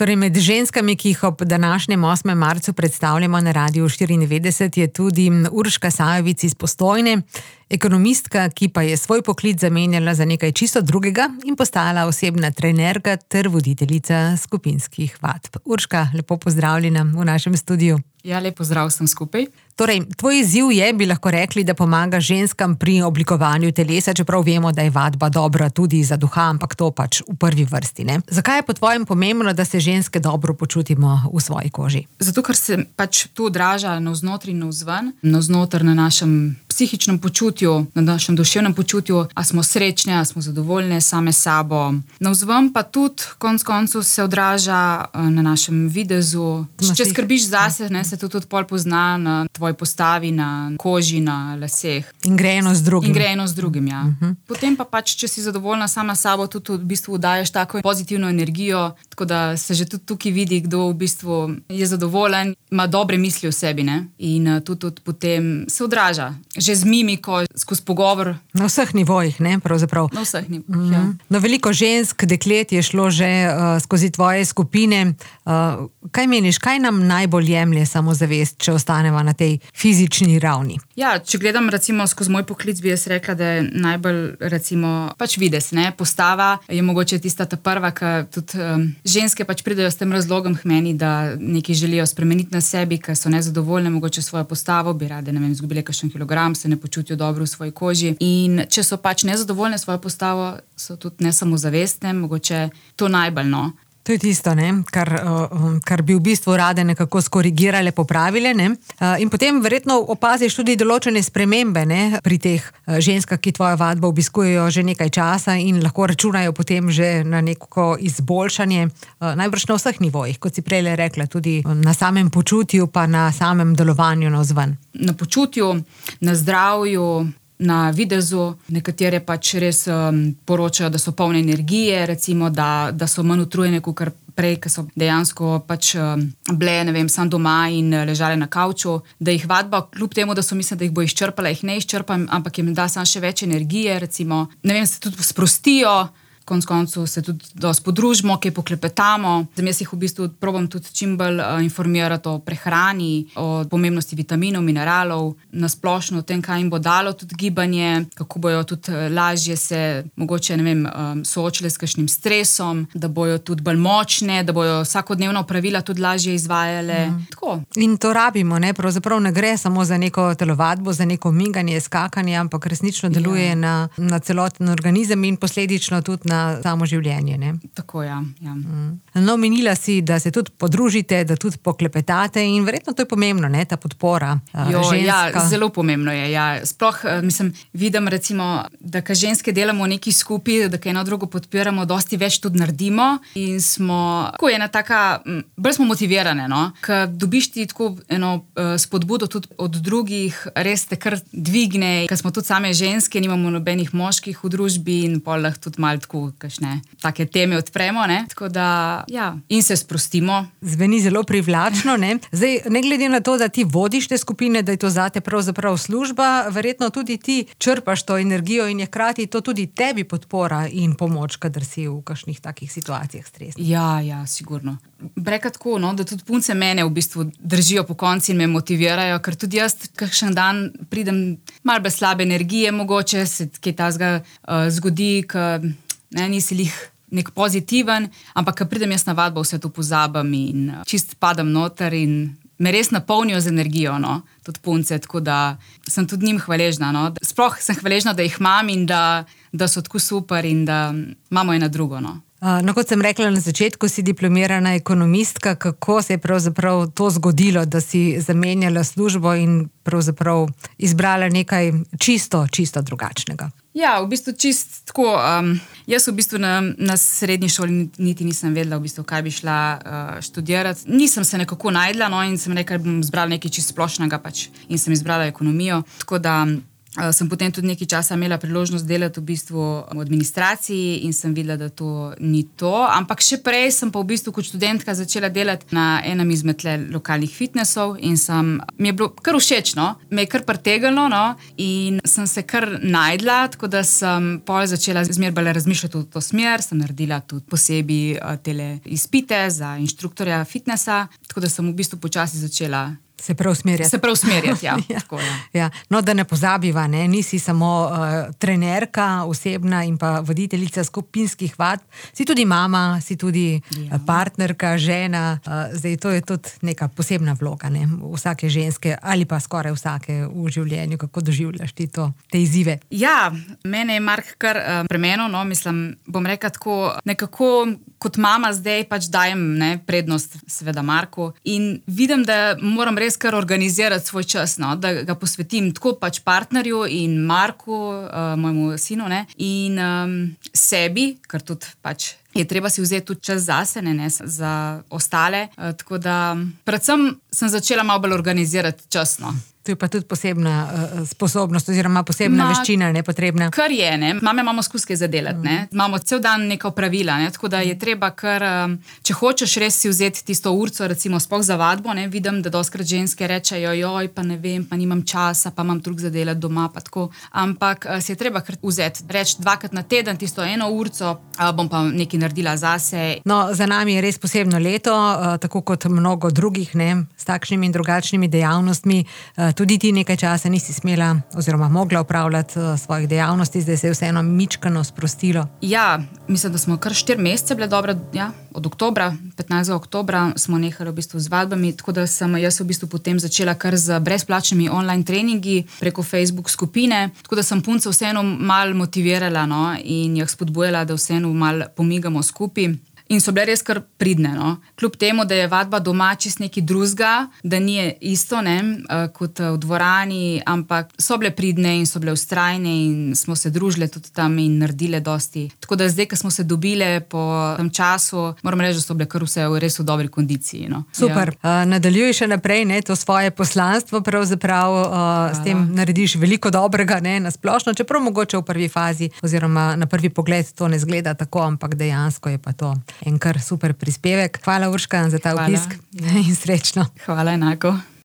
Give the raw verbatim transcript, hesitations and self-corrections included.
Torej med ženskami, ki jih ob današnjem osmem marcu predstavljamo na Radiu štiriindevetdeset, je tudi Urška Sajovic iz Postojne, ekonomistka, ki pa je svoj poklic zamenjala za nekaj čisto drugega in postala osebna trenerka ter voditeljica skupinskih vadb. Urška, lepo pozdravljena v našem studiu. Ja, lep pozdrav vsem skupaj. Torej, tvoj izziv je, bi lahko rekli, da pomaga ženskam pri oblikovanju telesa, čeprav vemo, da je vadba dobra tudi za duha, ampak to pač v prvi vrsti, ne? Zakaj je po tvojem pomembno, da se ženske dobro počutimo v svoji koži? Zato, ker se pač to odraža navznoter in navzven, navznoter na našem psihičnem počutju, na našem duševnem počutju, a smo srečne, a smo zadovoljne same sabo. Navzven pa tudi konec koncev se odraža na našem videzu. Če skrbiš zase, ne, se to tudi pol pozna na tvoji postavi, na koži, na laseh. In gre eno z drugim. In gre eno z drugim, ja. Uh-huh. Potem pa pač, če si zadovoljna sama sabo, tudi v bistvu daješ tako pozitivno energijo, tako da se že tudi tukaj vidi, kdo v bistvu je zadovoljen, ima dobre misli o sebi, ne? In tudi, tudi potem se odraža. Že z mimiko, skozi pogovor. Na vseh nivojih, ne, pravzaprav. Na vseh nivojih, mm-hmm. ja. No, veliko žensk, deklet je šlo že uh, skozi tvoje skupine. Uh, kaj meniš, kaj nam najbolj jemlje samozavest, če ostaneva na tej fizični ravni? Ja, če gledam recimo skozi moj poklic, bi jaz rekla, da je najbolj recimo pač videz, ne, postava je mogoče tista ta prva, ki tudi um, ženske pač pridejo s tem razlogom k meni, da nekaj želijo spremeniti na sebi, ker so nezadovoljne mogoče svojo postavo, bi rade, ne vem, izgubile kakšen kilogram, se ne počutijo dobro v svoji koži. In če so pač nezadovoljne svojo postavo, so tudi nesamozavestne, mogoče to najbolj, no. To je tisto, ne, kar, kar bi v bistvu rade nekako skorigirale, popravile, ne. In potem verjetno opaziš tudi določene spremembe, ne, pri teh ženskah, ki tvojo vadbo obiskujejo že nekaj časa in lahko računajo potem že na neko izboljšanje, najbrž na vseh nivojih, kot si prej rekla, tudi na samem počutju pa na samem delovanju navzven. Na počutju, na zdravju, na videzu, nekatere pač res um, poročajo, da so polne energije, recimo, da, da so manj utrujene, kot prej, ker so dejansko pač um, bile, ne vem, sam doma in ležale na kavču, da jih vadba, kljub temu, da so mislili, da jih bo izčrpala, jih ne izčrpam, ampak jim da sam še več energije, recimo, ne vem, se tudi sprostijo, konc koncu se tudi dosti podružimo, kaj poklepetamo. Zdaj, jaz jih v bistvu probam tudi čim bolj uh, informirati o prehrani, o pomembnosti vitaminov, mineralov, na splošno o tem, kaj jim bo dalo tudi gibanje, kako bojo tudi lažje se mogoče, ne vem, um, soočile s kakšnim stresom, da bojo tudi bolj močne, da bojo vsakodnevno pravila tudi lažje izvajale. Mm. Tako. In to rabimo, ne? Pravzaprav ne gre samo za neko telovadbo, za neko miganje, skakanje, ampak resnično deluje ja. na, na celoten organizem in posledično tudi na samo življenje, ne? Tako, ja. ja. Mm. No, menila si, da se tudi podružite, da tudi poklepetate in verjetno to je pomembno, ne, ta podpora jo, ženska. Ja, zelo pomembno je, ja. Sploh, mislim, vidim recimo, da ka ženske delamo nekaj skupaj, da ka eno drugo podpiramo, dosti več tudi naredimo in smo, tako je ena taka, bolj smo motivirane, no, ka dobiš ti tako eno uh, spodbudo tudi od drugih, res te kar dvigne, ka smo tudi same ženske, nimamo nobenih moških v družbi in pol lahko tudi malo tako kakšne take teme odpremo, ne? Tako da, ja, in se sprostimo. Zveni zelo privlačno, ne? Zdaj, ne glede na to, da ti vodiš te skupine, da je to zate pravzaprav služba, verjetno tudi ti črpaš to energijo in je hkrati to tudi tebi podpora in pomoč, kadar si v kakšnih takih situacijah stresnih. Ja, ja, sigurno. Breka tako, no, da tudi punce mene v bistvu držijo po konci in me motivirajo, ker tudi jaz kakšen dan pridem malo bez slabe energije, mogoče se kaj tazga uh, zgodi, ka ne, nisi lih nek pozitiven, ampak ko pridem jaz na vadbo, vse to pozabam in čist padam noter in me res napolnijo z energijo, no, tudi punce, tako da sem tudi njim hvaležna, no. Sploh sem hvaležna, da jih imam in da, da so tako super in da imamo eno drugo, no. No, kot sem rekla na začetku, si diplomirana ekonomistka, kako se je pravzaprav to zgodilo, da si zamenjala službo in pravzaprav izbrala nekaj čisto, čisto drugačnega? Ja, v bistvu čist tako, um, jaz v bistvu na, na srednji šoli niti nisem vedela, v bistvu, kaj bi šla uh, študirati. Nisem se nekako najdla, no, in sem rekla, bom izbrala nekaj čist splošnega pač in sem izbrala ekonomijo, tako da sem potem tudi nekaj časa imela priložnost delati v bistvu v administraciji in sem videla, da to ni to. Ampak še prej sem pa v bistvu kot študentka začela delati na enem izmed lokalnih fitnessov in sem, mi je bilo kar všečno, me je kar pritegnilo, no, in sem se kar najdla, tako da sem pol začela zmeraj bolj razmišljati v to smer, sem naredila tudi posebej tele izpite za inštruktorja fitnessa, tako da sem v bistvu počasi začela Se prav usmerjati. Se prav usmerjati, ja. ja. Tako, ja. ja. No, da ne pozabiva, ne? Nisi samo uh, trenerka osebna in pa voditeljica skupinskih vadb, si tudi mama, si tudi ja. partnerka, žena, uh, zdaj to je tudi neka posebna vloga, ne? Vsake ženske ali pa skoraj vsake v življenju, kako doživljaš ti to, te izzive. Ja, mene je Mark kar uh, premenil, no, mislim, bom rekla tako, nekako kot mama zdaj pač dajem ne, prednost seveda Marku in vidim, da moram res kar organizirati svoj čas, no, da ga posvetim tako pač partnerju in Marku, uh, mojemu sinu, ne, in um, sebi, ker tudi pač je treba si vzeti tudi čas zase, ne, ne, za ostale, uh, tako da predvsem sem začela malo bolj organizirati čas, no. To je pa tudi posebna uh, sposobnost oziroma posebna Ma, veščina, ne, potrebna. Kar je, ne. Mame imamo skuske zadelati, mm. ne. Imamo cel dan neka pravila, ne, tako da je treba kar, um, če hočeš res si vzeti tisto urco, recimo sploh za vadbo, ne, vidim, da doskrat ženske rečejo, joj, pa ne vem, pa nimam časa, pa imam drug zadelati doma, pa tako. Ampak uh, si je treba kar vzeti, reči dvakrat na teden, tisto eno urco, uh, bom pa nekaj naredila zase. No, za nami je res posebno leto, uh, tako kot mnogo drugih, ne, s takšnimi in drugačnimi dejavnostmi. Uh, Tudi ti nekaj časa nisi smela oziroma mogla upravljati uh, svojih dejavnosti, zdaj se je vseeno mičkano sprostilo. Ja, mislim, da smo kar štiri mesece bile dobre, ja, od oktobra, petnajstega oktobra smo nehali v bistvu z vadbami, tako da sem jaz v bistvu potem začela kar z brezplačnimi online treningi preko Facebook skupine, tako da sem punce vseeno malo motivirala, no, in jih spodbujala, da vseeno malo pomigamo skupaj. In so bile res kar pridne, no. Kljub temu, da je vadba doma čist nekaj drugega, da ni isto, ne, kot v dvorani, ampak so bile pridne in so bile vztrajne in smo se družile tudi tam in naredile dosti. Tako da zdaj, ko smo se dobile po tem času, moram reči, da so bile kar vse res v dobri kondiciji, no. Super. Ja. Uh, nadaljuj še naprej, ne, to svoje poslanstvo pravzaprav, uh, s tem narediš veliko dobrega, ne, na splošno, čeprav mogoče v prvi fazi oziroma na prvi pogled to ne zgleda tako, ampak dejansko je pa to en kar super prispevek. Hvala, Urška, za ta obisk in srečno. Hvala enako.